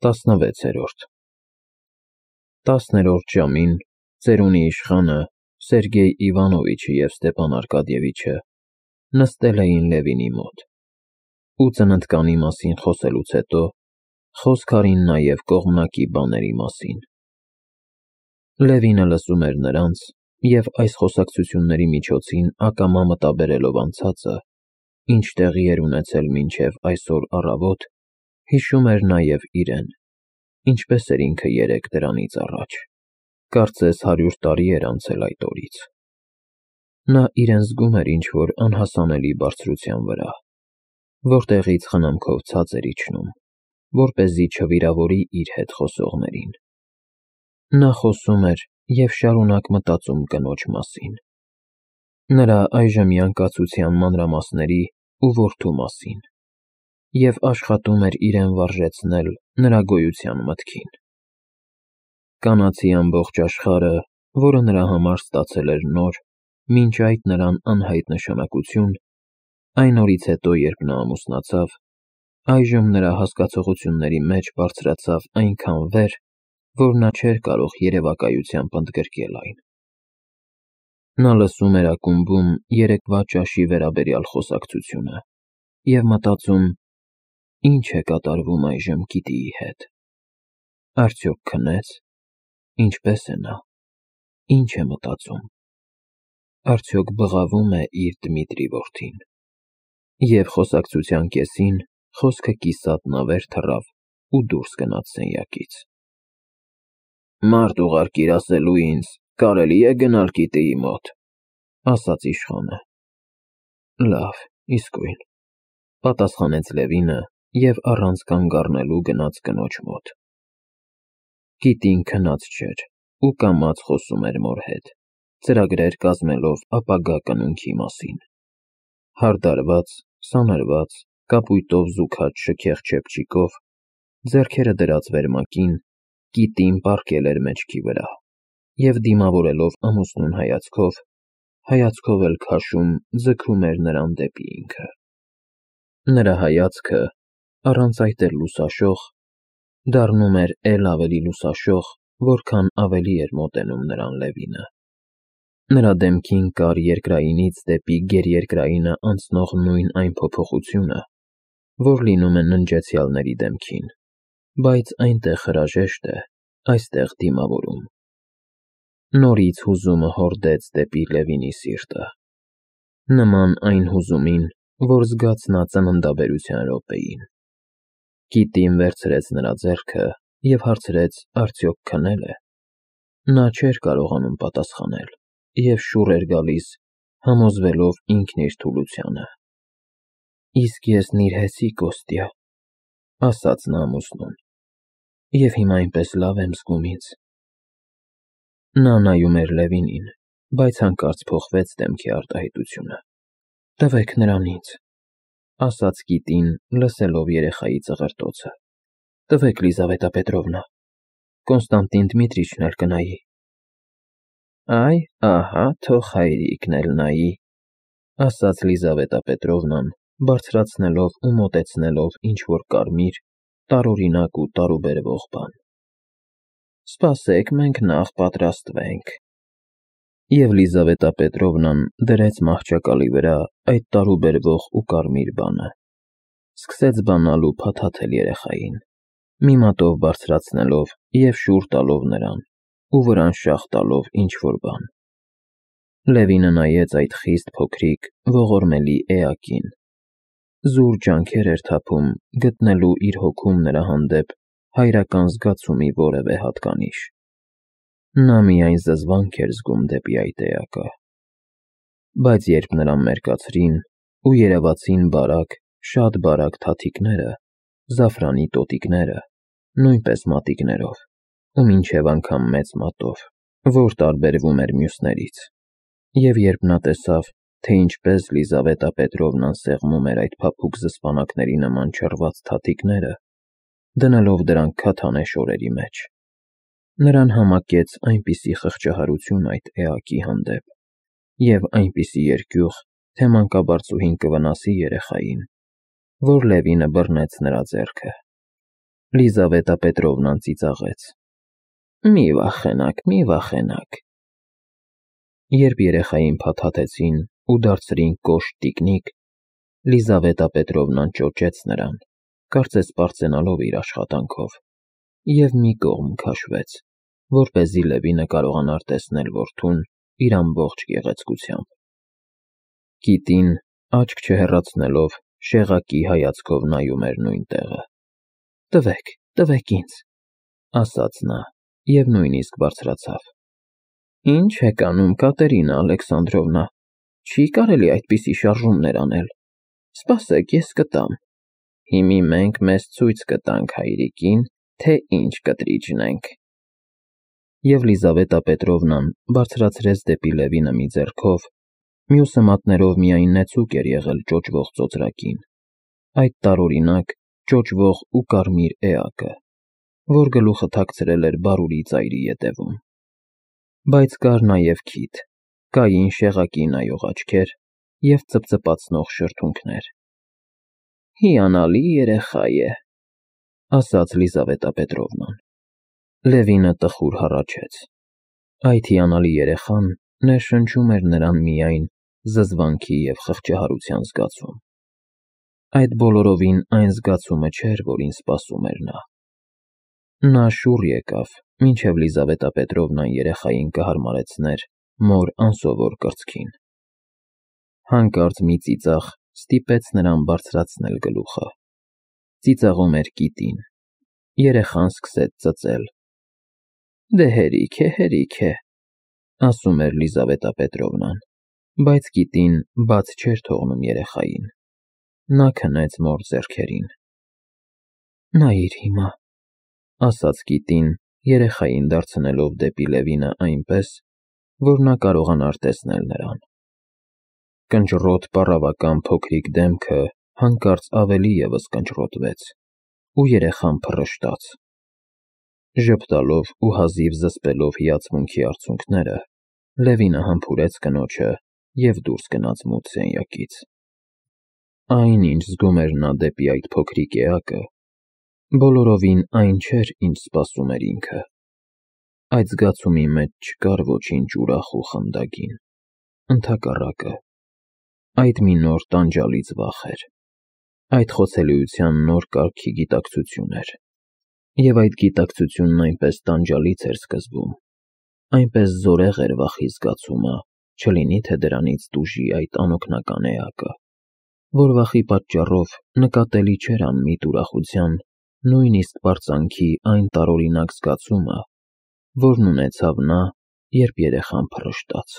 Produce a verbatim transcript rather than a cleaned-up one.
տասնվեցերորդ Տասներորդ ժամին ծերունի իշխանը Սերգեյ Իվանովիչը և Ստեփան Արկադիևիչը նստել էին Լևինի մոտ ու ծննդկանի մասին խոսելուց հետո խոսք արին նաև կողմնակի բաների մասին։ Լևինը լսում էր նրանց և այս խոսակցությունների միջոցին ակամա մտաբերելով անցածը, ինչ տեղի էր ունեցել մինչև այսօր առավոտ, հիշում էր նաև իրեն, ինչպես էր ինքը երեկ դրանից առաջ, կարծես հարյուր տարի էր անցել այդ օրից։ Նա իրեն զգում էր ինչ-որ անհասանելի բարձրության վրա, որտեղից խնամքով ցած էր իջնում, որպեսզի չվիրավորի իր հետ խոսողներին։ Նա խոսում էր և շարունակ մտածում կնոջ մասին, նրա այժմյան կացության մանրամասների ու որդու մասին, և աշխատում էր իրեն վարժեցնել նրա գոյության մտքին։ Կանացի ամբողջ աշխարհը, որը նրա համար ստացել էր նոր, մինչ այդ նրան անհայտ նշանակություն, այն օրից հետո, երբ նա ամուսնացավ, այժմ նրա հասկացողությունների մեջ բարձրացավ այնքան վեր, որ նա չէր կարող երևակայությամբ ընդգրկել այն։ Նա լսում էր ակումբում երեկվա ճաշի վերաբերյալ խոսակցությունը և մտածում. ինչ է կատարվում այժմ Կիտիի հետ, արդյոք քնե՞ց, ինչպե՞ս է նա, ինչ է մտածում, արդյոք բղավո՞ւմ է իր Դմիտրի որդին։ Եվ խոսակցության կեսին խոսքը կիսատ նավեր թռավ ու դուրս գնաց սենյակից։ «Մարդ ուղարկիր ասելու ինձ, կարելի՞ է գնալ Կիտիի մոտ», ասաց իշխանը։ «Լավ, իսկույն», պատասխանեց Լևինը և առանց կանգ առնելու գնաց կնոջ մոտ։ Կիտին քնած չէր ու կամաց խոսում էր մոր հետ, ծրագրեր կազմելով ապագա կնունքի մասին։ Հարդարված, սանրված, կապույտով զուգած շքեղ չեփչիկով, ձեռքերը դրած վերմակին, Կիտին պառկել էր մեջքի վրա և դիմավորելով ամուսնուն հայացքով, հայացքով էլ քաշում, ձգում էր նրան դեպի ինքը։ Նրա հայացքը, առանց այդ էլ լուսաշող, դառնում էր էլ ավելի լուսաշող, որքան ավելի էր մոտենում նրան Լևինը։ Նրա դեմքին կար երկրայինից դեպի գերերկրայինը անցնող նույն այն փոփոխությունը, որ լինում է ննջեցյալների դեմքին, բայց այնտեղ հրաժեշտ է, այստեղ դիմավորում։ Նորից հուզումը հորդեց դեպի Լևինի սիրտը, նման այն հուզումին, որ զգաց նա ծննդաբերության րոպեին։ Կիտին վերցրեց նրա ձեռքը և հարցրեց արդյոք քնել է։ Նա չէր կարողանում պատասխանել և շուռ էր գալիս, համոզվելով ինքն իր թուլությանը։ «Իսկ ես նիրհեցի, Կոստյա», ասաց նա ամուսնուն, «և հիմա այնպես լավ եմ զգում ինձ»։ Նա նայում էր Լևինին, բայց հանկարծ փոխվեց դեմքի արտահայտությունը։ «Տվեք նրան ինձ», ասաց Կիտին, լսելով երեխայի ծղրտոցը։ «Տվեք, Լիզավետա Պետրովնա, Կոնստանտին Դմիտրիչն էլ կնայի»։ «Այ, ահա, թող հայրիկն էլ նայի», ասաց Լիզավետա Պետրովնան, բարձրացնելով ու մոտեցնելով ինչ-որ կարմիր, տարօրինակ ու տարուբերվող բան։ «Սպասեք, մենք նախ պատրաստվենք»։ Եվ Լիզավետա Պետրովնան դրեց մահճակալի վրա այդ տարուբերվող ու կարմիր բանը, սկսեց բանալ ու փաթաթել երեխային, մի մատով բարձրացնելով և շուռ տալով նրան ու վրան շաղ տալով ինչ-որ բան։ Լևինը նայեց այդ խիստ փոքրիկ, ողորմելի էակին, զուր ջանքեր էր թափում գտնելու իր հոգում նրա հանդեպ հայրական զգացումի որևէ հատկանիշ։ Նա միայն զզվանք էր զգում դեպի այդ էակը։ Բայց երբ նրան մերկացրին ու երևացին բարակ, շատ բարակ թաթիկները, զաֆրանի տոտիկները, նույնպես մատիկներով, ու մինչև անգամ մեծ մատով, որ տարբերվում էր մյուսներից, և երբ նա տեսավ, թե ինչպես Լիզավետա Պետրովնան սեղմում էր այդ փափուկ զսպանակների նման չռված թաթիկները, դնելով դրանք քաթանե շորերի մեջ, նրան համակեց այնպիսի խղճահարություն այդ էակի հանդեպ և այնպիսի երկյուղ, թե մանկաբարձուհին կվնասի երեխային, որ Լևինը բռնեց նրա ձեռքը։ Լիզավետա Պետրովնան ծիծաղեց. Մի վախենաք, մի վախենաք։ Երբ երեխային փաթաթեցին ու դարձրին կոշտ տիկնիկ, Լիզավետա Պետրովնան ճոճեց նրան, կարծես պարծենալով իր աշխատանքով, և մի կողմ քաշվեց, որպեսզի Լևինը կարողանար տեսնել որդուն իր ամբողջ գեղեցկությամբ։ Կիտին, աչք չհեռացնելով, շեղակի հայացքով նայում էր նույն տեղը։ Տվեք, տվեք ինձ, ասաց նա և նույնիսկ բարձրացավ։ Ինչ եք անում, Կատերինա Ալեքսանդրովնա, չի կարելի այդպիսի շարժումներ անել։ Սպասեք, ես կտամ։ Հիմի մենք մեզ ցույց կտանք հայրիկին, թե ինչ կտրիճն ենք։ Եվ Լիզավետա Պետրովնան բարձրացրեց դեպի Լևինը մի ձեռքով, մյուսը մատներով միայն նեցուկ էր եղել ճոճվող ծոծրակին, այդ տարօրինակ ճոճվող ու կարմիր էակը, որ գլուխը թաքցրել էր բարուրի ծայրի ետևում։ Բայց կար նաև քիթ, կային շեղակի նայող աչքեր և ծպծպացնող շրթունքներ։ Հիանալի երեխա է, ասաց Լիզավետա Պետրովնան։ Լևինը տխուր հառաչեց։ Այդ հիանալի երեխան ներշնչում էր նրան միայն զզվանքի և խղճահարության զգացում։ Այդ բոլորովին այն զգացումը չէր, որին սպասում էր նա։ Նա շուռ եկավ, մինչև Լիզավետա Պետրովնան երեխային կհարմարեցներ մոր անսովոր կրծքին։ Հանկարծ մի ծիծաղ ստիպեց նրան բարձրացնել գլուխը։ Ծիծաղում էր կիտին։ Երեխան սկսեց ծծել։ Դե հերիք է, հերիք է, ասում էր Լիզավետա Պետրովնան, բայց կիտին բաց չէր թողնում երեխային։ Նա քնեց մոր ձեռքերին։ Նայիր հիմա, ասաց կիտին, երեխային դարձնելով դեպի Լևինը այնպես, որ նա կարողանար տեսնել նրան։ Կնճռոտ պառավական փոքրիկ դեմքը հանկարծ ավելի ևս կնճռոտվեց, ու երեխան փռշտաց։ Ժպտալով ու հազիվ զսպելով հիացմունքի արցունքները, Լևինը համբուրեց կնոջը և դուրս գնաց մութ սենյակից։ Այն, ինչ զգում էր նա դեպի այդ փոքրիկ էակը, բոլորովին այն չէր, ինչ սպասում էր ինքը։ Այդ զգացումի մեջ չկար ոչինչ ուրախ ու խմդագին, ընդհակառակը, այդ մի նոր տանջալից վախ էր, այդ խոցելիության նոր կարգի գիտակցություն էր։ Եվ այդ գիտակցությունն այնպես տանջալից էր սկզբում, այնպես զորեղ էր վախի զգացումը, չլինի թե դրանից տուժի այդ անօգնական էակը, որ վախի պատճառով նկատելի չէր անմիտ ուրախության, նույնիսկ պարծանքի այն տարօրինակ զգացումը, որն ունեցավ նա, երբ երեխան փռշտաց։